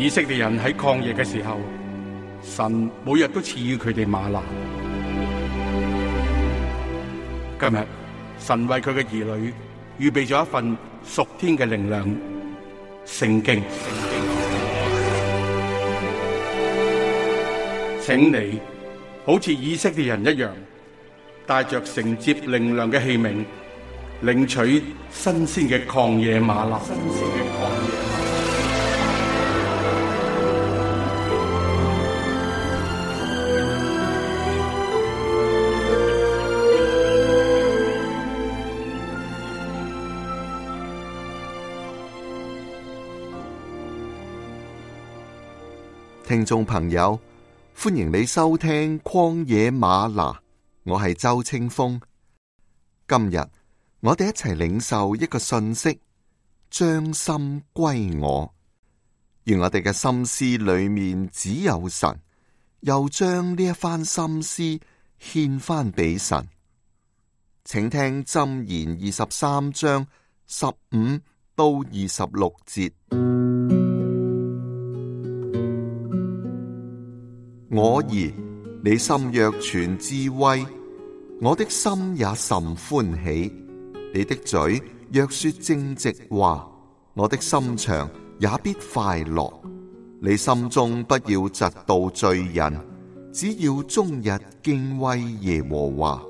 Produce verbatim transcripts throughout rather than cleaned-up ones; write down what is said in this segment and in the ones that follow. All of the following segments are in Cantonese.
以色列人喺曠野嘅時候，神每日都賜予佢哋嗎哪。今日神為佢嘅兒女預備咗一份屬天嘅靈糧——聖經。請你好似以色列人一樣，帶着承接靈糧嘅器皿，領取新鮮嘅曠野嗎哪。聽眾朋友，歡迎你收聽曠野嗎哪，我係周清風。今日我哋一齊領受一個訊息，將心歸我。願我哋嘅心思裏面只有神，又將呢一番心思獻翻俾神。請聽箴言二十三章十五到二十六節。我兒，你心若存智慧，我的心也甚歡喜。你的嘴若說正直話，我的心腸也必快樂。你心中不要嫉妒罪人，只要終日敬畏耶和華，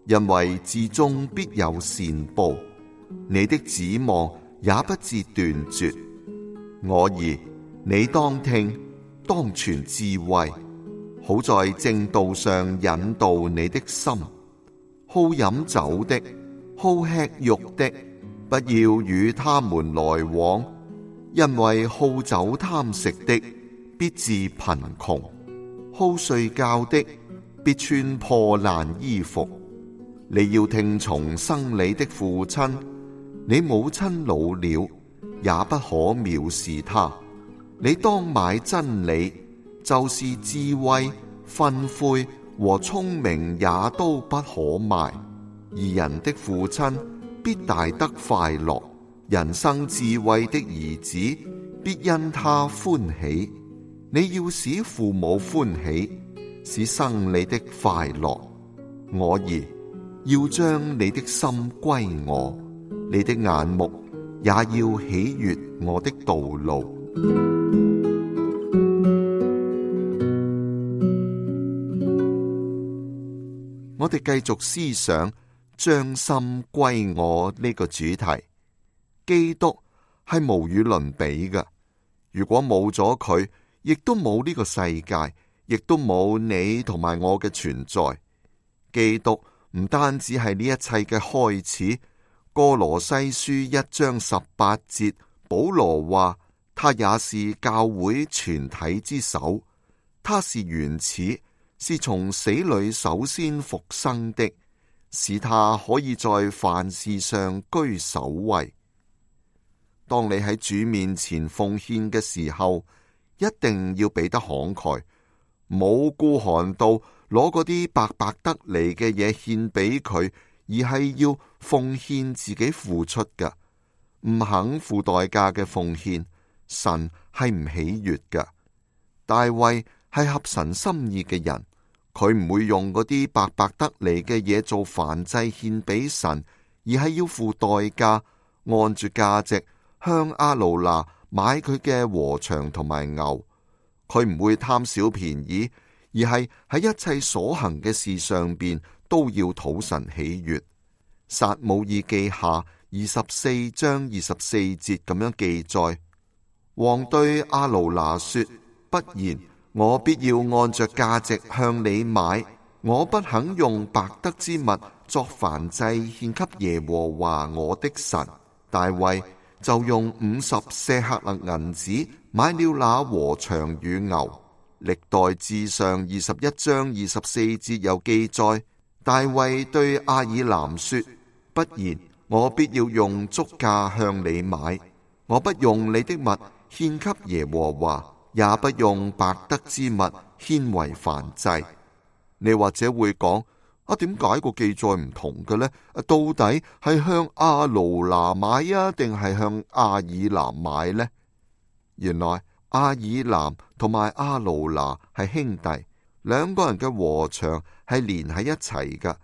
因為至終必有善報，你的指望也不致斷絕。我兒，你當聽，當存智慧，好在正道上引導你的心。好飲酒的，好吃肉的，不要與他們來往，因為好酒貪食的必致貧窮，好睡覺的必穿破爛衣服。你要聽從生你的父親，你母親老了，也不可藐視他。你當買真理，就是智慧、訓誨和聰明也都不可賣。義人的父親必大得快樂，人生智慧的兒子必因他歡喜。你要使父母歡喜，使生你的快樂。我兒，要將你的心歸我，你的眼目也要喜悅我的道路。我哋繼續思想將心歸我呢個主題。基督係無與倫比嘅，如果冇咗佢，亦都冇呢個世界，亦都冇你同埋我嘅存在。基督唔單止係呢一切嘅開始。哥羅西書一章十八節，保羅話：他也是教會全體之首，他是原始，是從死裏首先復生的，使他可以在凡事上居首位。當你喺主面前奉獻嘅時候，一定要俾得慷慨，冇孤寒到攞嗰啲白白得嚟嘅嘢獻俾佢，而係要奉獻自己付出嘅，唔肯付代價嘅奉獻，神係唔喜悅嘅。大衛係合神心意嘅人，佢唔會用嗰啲白白得嚟嘅嘢做燔祭獻俾神，而係要付代價，按住價值向亞魯拿買佢嘅禾場同埋牛。佢唔會貪小便宜，而係喺一切所行嘅事上邊都要討神喜悅。撒母耳記下二十四章二十四節咁樣記載：王對亞魯拿說，不然，我必要按着價值向你買，我不肯用白得之物作燔祭獻給耶和華我的神。大衛就用五十舍客勒銀子買了那禾場與牛。歷代志上二十一章二十四節有記載：大衛對亞爾南說，不然，我必要用足價向你買，我不用你的物獻給耶和華，也不用白得之物獻為燔祭。你或者會講：啊，點解個記載唔同嘅呢？到底係向亞魯拿買啊，定係向亞爾南買呢？原來亞爾南同埋亞魯拿係兄弟，兩個人嘅禾場係連喺一齊㗎。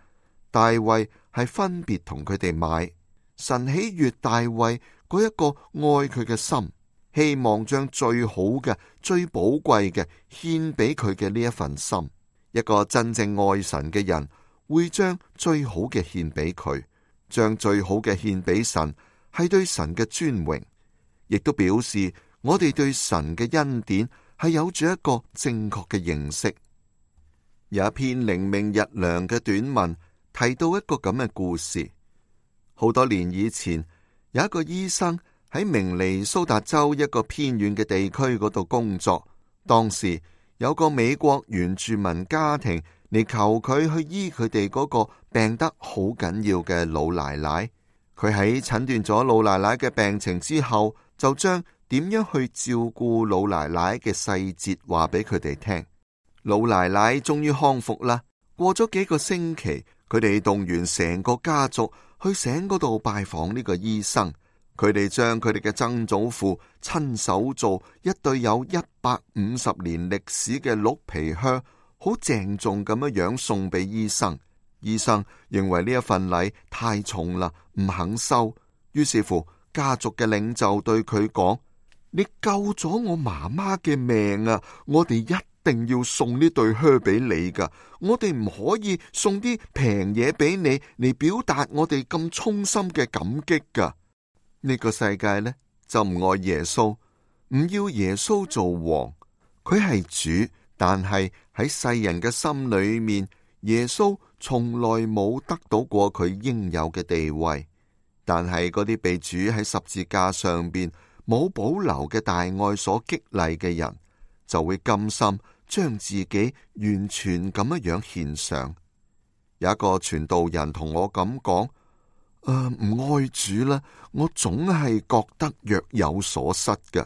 大衛係分別同佢哋買。神喜悅大衛嗰一個愛佢嘅心，希望將最好嘅、最寶貴嘅獻俾佢嘅呢一份心。一個真正愛神嘅人會將最好嘅獻俾佢，將最好嘅獻俾神係對神嘅尊榮，亦都表示我哋對神嘅恩典係有住一個正確嘅認識。有一篇靈命日糧嘅短文提到一個咁嘅故事。好多年以前，有一個醫生喺明尼蘇達州一個偏遠嘅地區嗰度工作。當時有個美國原住民家庭嚟求佢去醫佢哋嗰個病得好緊要嘅老奶奶。佢喺診斷咗老奶奶嘅病情之後，就將點樣去照顧老奶奶嘅細節話俾佢哋聽。老奶奶終於康復啦。過咗幾個星期，佢哋動員成個家族去城嗰度拜訪呢個醫生。佢哋將佢哋嘅曾祖父親手做一對有一百五十年歷史嘅鹿皮靴，好鄭重咁樣樣送俾醫生。醫生認為呢一份禮太重啦，唔肯收。於是乎，家族嘅領袖對佢講：你救咗我媽媽嘅命啊！我哋一定要送呢對靴俾你噶。我哋唔可以送啲平嘢俾你嚟表達我哋咁衷心嘅感激噶。呢個世界呢，就唔愛耶穌，唔要耶穌做王。佢係主，但係喺世人嘅心裏面，耶穌從來冇得到過佢應有嘅地位。但係嗰啲被主喺十字架上邊冇保留嘅大愛所激勵嘅人，就會甘心將自己完全咁樣樣獻上。有一個傳道人同我咁講：誒，唔愛主啦，我總係覺得若有所失嘅。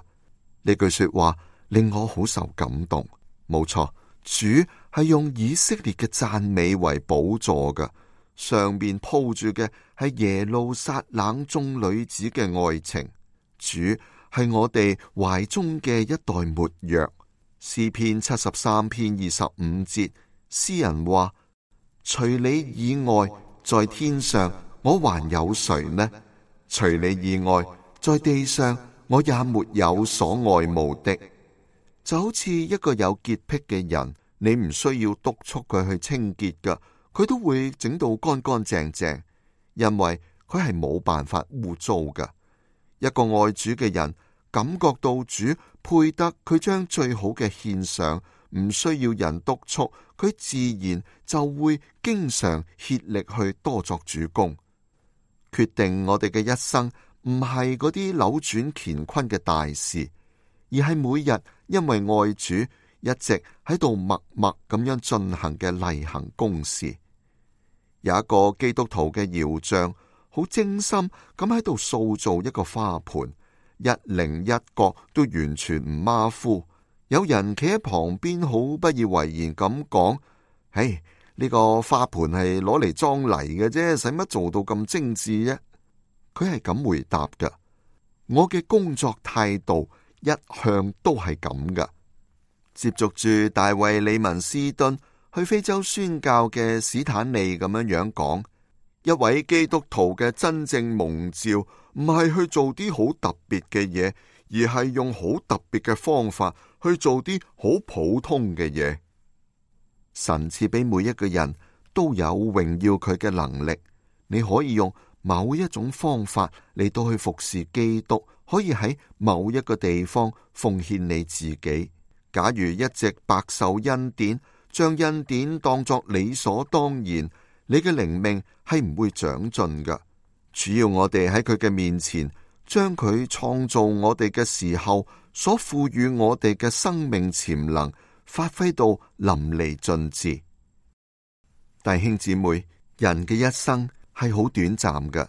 呢句說話令我好受感動。冇錯，主係用以色列嘅讚美為寶座嘅，上面鋪住嘅係耶路撒冷眾女子嘅愛情。主係我哋懷中嘅一袋沒藥。詩篇七十三篇二十五節，詩人話：除你以外，在天上我還有誰呢？除你以外，在地上我也沒有所愛慕的。就好似一個有潔癖嘅人，你唔需要督促佢去清潔噶，佢都會整到乾乾淨淨，因為佢係冇辦法污糟噶。一個愛主嘅人感覺到主配得佢將最好嘅獻上，唔需要人督促，佢自然就會經常竭力去多作主工。決定我哋嘅一生唔係嗰啲扭轉乾坤嘅大事，而係每日因為愛主一直喺度默默咁樣進行嘅例行公事。有一個基督徒嘅窯匠好精心咁喺度塑造一個花盆，一棱一角都完全唔馬虎。有人企喺旁邊好不以為然咁講：唉，呢個花盆係攞嚟裝泥嘅啫，使乜做到咁精緻啫？佢係咁回答噶：我嘅工作態度一向都係咁噶。接續住大衛李文斯頓去非洲宣教嘅史坦利咁樣樣講：一位基督徒嘅真正蒙召，唔係去做啲好特別嘅嘢，而係用好特別嘅方法去做啲好普通嘅嘢。神賜俾每一個人都有榮耀佢嘅能力，你可以用某一種方法嚟到去服侍基督，可以喺某一個地方奉獻你自己。假如一直白受恩典，將恩典當作理所當然，你嘅靈命係唔會長進㗎。主要我哋喺佢嘅面前，將佢創造我哋嘅時候所賦予我哋嘅生命潛能發揮到淋漓盡致。弟兄姊妹，人嘅一生係好短暫嘅，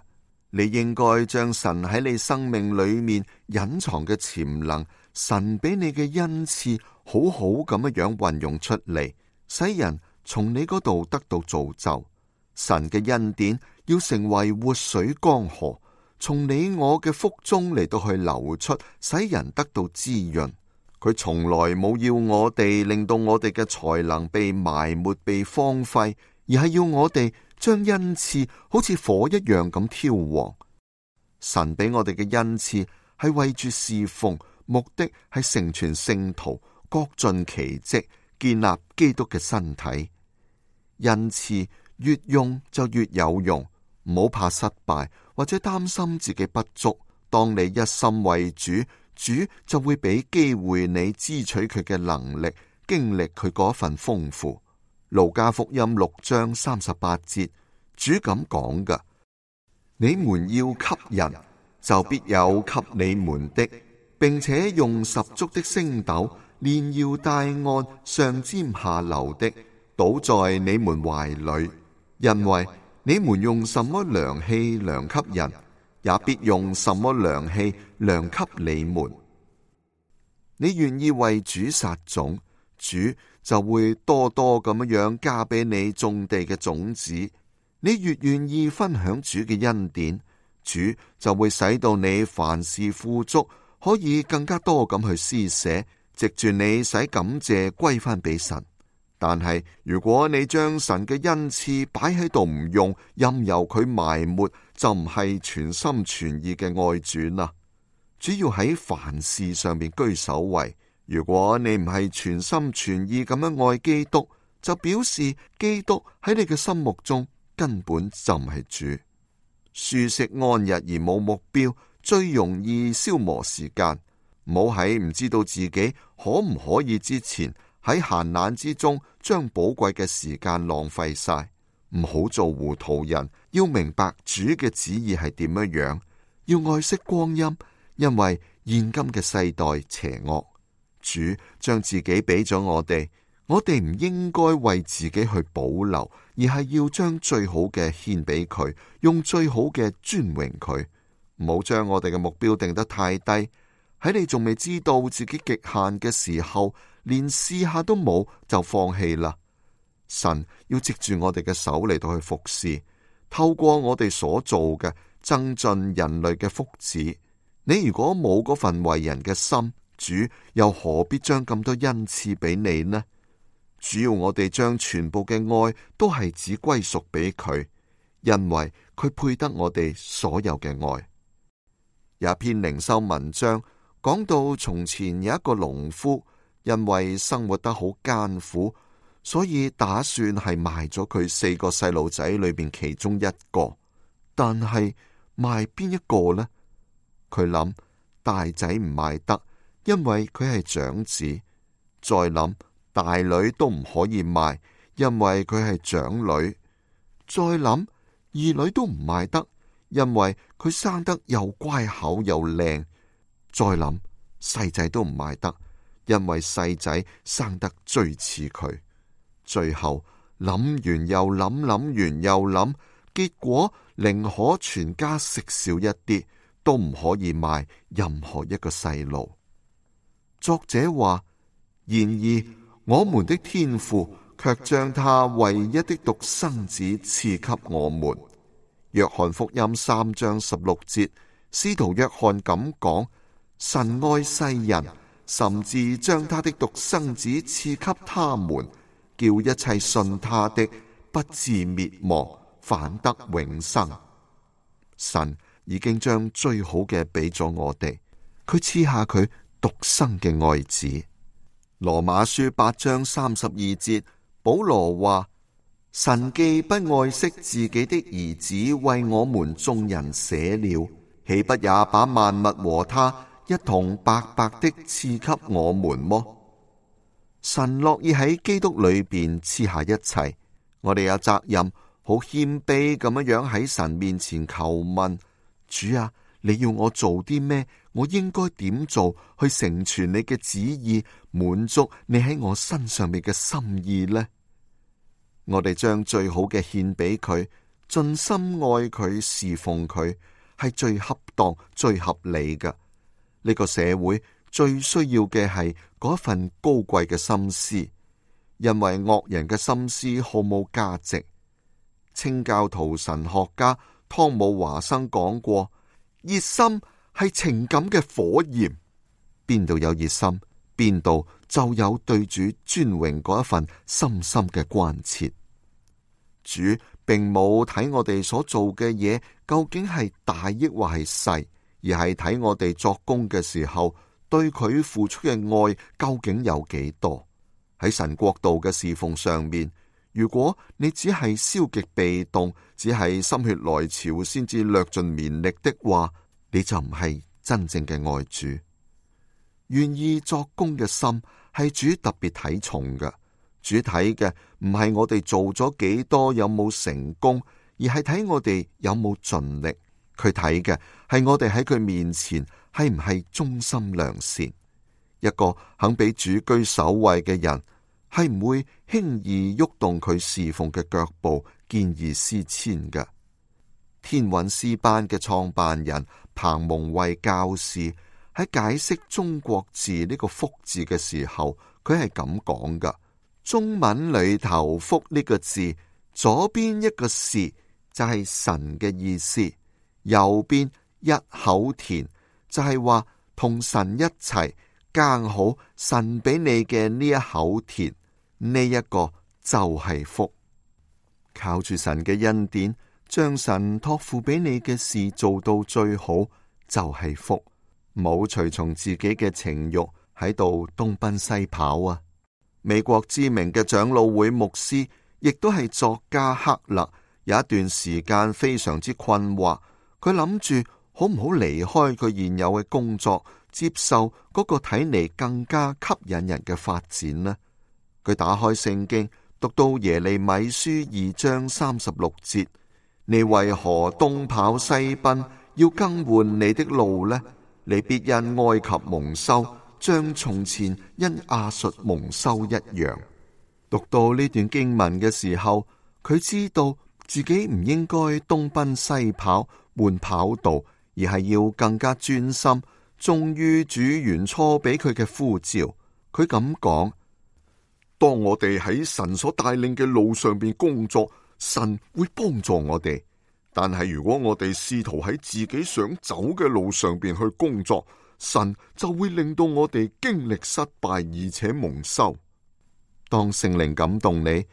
你應該將神喺你生命裏面隱藏嘅潛能，神俾你嘅恩賜，好好咁樣樣運用出嚟，使人從你嗰度得到造就。神嘅恩典要成為活水江河，從你我嘅腹中嚟到去流出，使人得到滋潤。佢從來冇要我哋令到我哋嘅才能被埋沒、被荒廢，而係要我哋將恩賜好似火一樣咁挑旺。神俾我哋嘅恩賜係為住侍奉，目的係成全聖徒，各盡其職，建立基督嘅身體。恩賜越用就越有用，唔好怕失敗或者擔心自己不足。當你一心為主，主就會俾機會你支取佢嘅能力，經歷佢嗰份豐富。路加福音六章三十八節，主咁講㗎：你們要給人，就必有給你們的，並且用十足的升斗，連搖帶按，上尖下流的，倒在你們懷裏。因為你們用什麼量器量給人，也必用什麼量器量給你們。你願意為主撒種，主就會多多咁樣加俾你種地嘅種子。你越願意分享主嘅恩典，主就會使到你凡事富足，可以更加多咁去施捨，藉住你使感謝歸翻俾神。但係如果你將神嘅恩賜擺喺度唔用，任由佢埋沒，就唔係全心全意嘅愛主啦。主要喺凡事上面居首位。如果你唔係全心全意咁樣愛基督，就表示基督喺你嘅心目中根本就唔係主。舒適安逸而冇目標，最容易消磨時間。唔好喺唔知道自己可唔可以之前，喺閒懶之中將寶貴嘅時間浪費晒。唔好做糊塗人，要明白主嘅旨意係點樣樣，要愛惜光陰，因為現今嘅世代邪惡。主將自己俾咗我哋，我哋唔應該為自己去保留，而係要將最好嘅獻俾佢，用最好嘅尊榮佢。唔好將我哋嘅目標定得太低，喺你仲未知道自己極限嘅時候，連試下都冇就放棄啦。神要藉住我哋嘅手嚟到去服侍，透過我哋所做嘅增進人類嘅福祉。你如果冇嗰份為人嘅心，主又何必將咁多恩賜俾你呢？主要我哋將全部嘅愛都係只歸屬俾佢，因為佢配得我哋所有嘅愛。有一篇靈修文章講到，從前有一個農夫，因為生活得好艱苦，所以打算係賣咗佢四個細路仔裏邊其中一個。但係賣邊一個呢？佢諗大仔唔賣得，因為佢係長子。再諗大女都唔可以賣，因為佢係長女。再諗二女都唔賣得，因為佢生得又乖巧又靚。再諗細仔都唔賣得，因為細仔生得最似佢。最後諗完又諗，諗完又諗，結果寧可全家食少一啲，都唔可以賣任何一個細路。作者話：然而我們的天父卻將他唯一的獨生子賜給我們。約翰福音三章十六節，使徒約翰咁講：神愛世人，甚至將他的獨生子賜給他們，叫一切信他的不至滅亡，反得永生。神已經將最好嘅俾咗我哋，佢賜下佢獨生嘅愛子。羅馬書八章三十二節，保羅話：神既不愛惜自己的兒子為我們眾人捨了，豈不也把萬物和他一同白白的賜給我們麼？神樂意喺基督裏邊賜下一切，我哋有責任好謙卑咁樣樣喺神面前求問：主啊，你要我做啲咩？我應該點做去成全你嘅旨意，滿足你喺我身上面嘅心意呢？我哋將最好嘅獻俾佢，盡心愛佢，侍奉佢，係最恰當、最合理嘅。呢個社會最需要嘅係嗰份高貴嘅心思，因為惡人嘅心思毫無價值。清教徒神學家湯姆華生講過：熱心係情感嘅火焰，邊度有熱心，邊度就有對主尊榮嗰一份深深嘅關切。主並冇睇我哋所做嘅嘢究竟係大抑或係細，而係睇我哋作工嘅時候對佢付出嘅愛究竟有幾多。喺神國度嘅侍奉上面，如果你只係消極被動，只係心血來潮先至略盡綿力的話，你就唔係真正嘅愛主。願意作工嘅心係主特別睇重嘅。主睇嘅唔係我哋做咗幾多，有冇成功，而係睇我哋有冇盡力。佢睇嘅係我哋喺佢面前係唔係忠心良善。一個肯俾主居首位嘅人，係唔會輕易喐動佢侍奉嘅腳步，見異思遷嘅。天韻詩班嘅創辦人彭蒙惠教士喺解釋中國字呢個福字嘅時候，佢係咁講噶：中文裏頭福呢個字，左邊一個是就係神嘅意思，右邊一口田就係話同神一齊耕好神俾你嘅呢一口田，呢一個就係福。靠住神嘅恩典，將神託付俾你嘅事做到最好，就係福。冇隨從自己嘅情慾喺度東奔西跑啊！美國知名嘅長老會牧師，亦都係作家克勒，有一段時間非常之困惑，佢諗住好唔好離開佢現有嘅工作，接受嗰個睇嚟更加吸引人嘅發展呢？佢打開聖經，讀到耶利米書二章三十六節：你為何東跑西奔，要更換你的路呢？你必因埃及蒙羞，像從前因亞述蒙羞一樣。讀到呢段經文嘅時候，佢知道自己唔應該東奔西跑換跑道，而係要更加專心，忠於主原初俾佢嘅呼召。佢咁講：當我哋喺神所帶領嘅路上邊工作，神會幫助我哋。但係如果我哋試圖喺自己想走嘅路上邊去工作，神就會令到我哋經歷失敗，而且蒙羞。當聖靈感動你，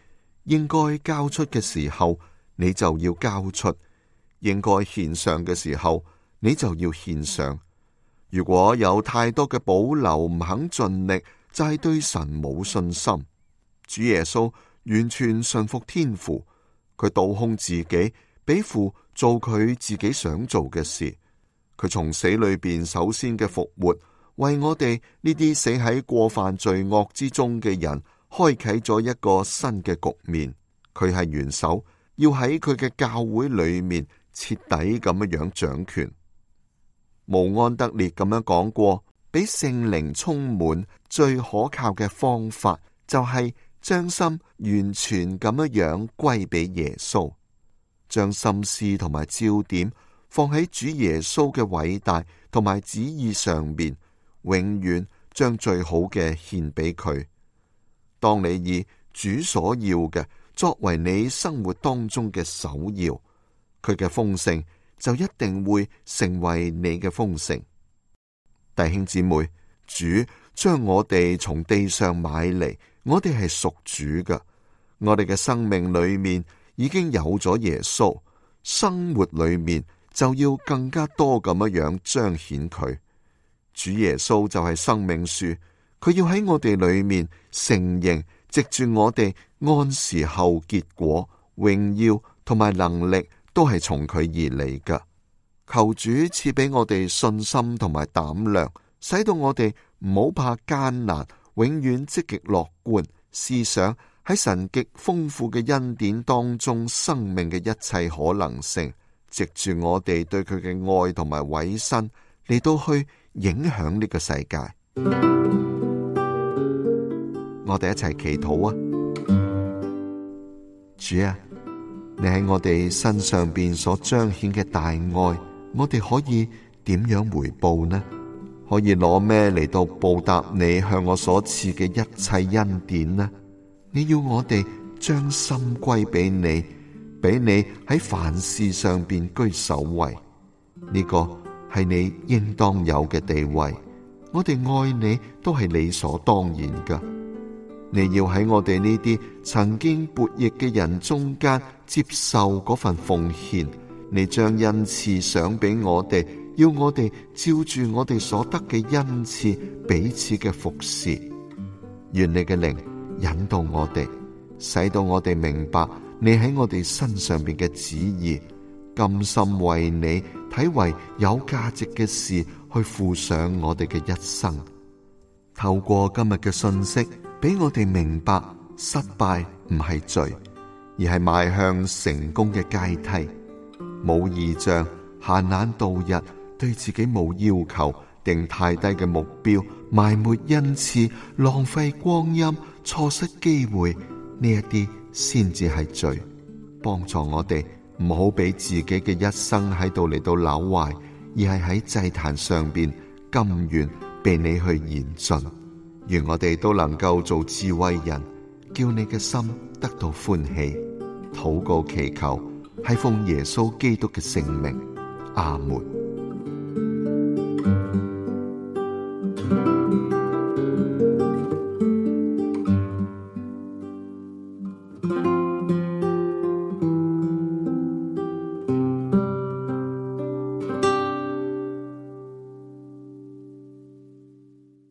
應該交出嘅時候，你就要交出；應該獻上嘅時候，你就要獻上。如果有太多嘅保留，唔肯盡力，就係對神冇信心。主耶穌完全順服天父，佢倒空自己，俾父做佢自己想做嘅事。佢從死裏邊首先嘅復活，為我哋呢啲死喺過犯罪惡之中嘅人，開啟咗一個新嘅局面。佢係元首，要喺佢嘅教會裏面徹底咁樣樣掌權。慕安德烈咁樣講過，俾聖靈充滿最可靠嘅方法，就係將心完全咁樣樣歸俾耶穌。將心思同埋焦點放喺主耶穌嘅偉大同埋旨意上面，永遠將最好嘅獻俾佢。當你以主所要嘅作為你生活當中嘅首要，佢嘅豐盛就一定會成為你嘅豐盛。弟兄姊妹，主將我哋從地上買嚟，我哋係屬主嘅，我哋嘅生命裏面已經有咗耶穌，生活裏面就要更加多咁樣樣彰顯佢。主耶穌就係生命樹，佢要喺我哋裏面承認，藉住我哋按時候結果，榮耀同埋能力都係從佢而嚟㗎。求主賜俾我哋信心同埋膽量，使到我哋唔好怕艱難，永遠積極樂觀，思想喺神極豐富嘅恩典當中，生命嘅一切可能性，藉住我哋對佢嘅愛同埋委身嚟到去影響呢個世界。我哋一齊祈禱啊！主啊，你喺我哋身上邊所彰顯嘅大愛，我哋可以點樣回報呢？可以攞咩嚟到報答你向我所賜嘅一切恩典呢？你要我哋將心歸俾你，俾你喺凡事上邊居首位，呢個係你應當有嘅地位。我哋愛你都係理所當然噶。你要喺我哋呢啲曾經悖逆嘅人中間接受嗰份奉獻，你將恩賜賞俾我哋，要我哋照住我哋所得嘅恩賜彼此嘅服侍。願你嘅靈引導我哋，使到我哋明白你喺我哋身上邊嘅旨意，甘心為你睇為有價值嘅事去付上我哋嘅一生。透過今日嘅信息，俾我哋明白失敗唔係罪，而係邁向成功嘅階梯。冇異象，閒懶度日，對自己冇要求，定太低嘅目標，埋沒恩賜，浪費光陰，錯失機會，呢一啲先至係罪。幫助我哋唔好俾自己嘅一生喺度嚟到朽壞，而係喺祭壇上邊甘願被你去燃盡。願我哋都能夠做智慧人，叫你嘅心得到歡喜。禱告祈求，係奉耶穌基督嘅聖名，阿門。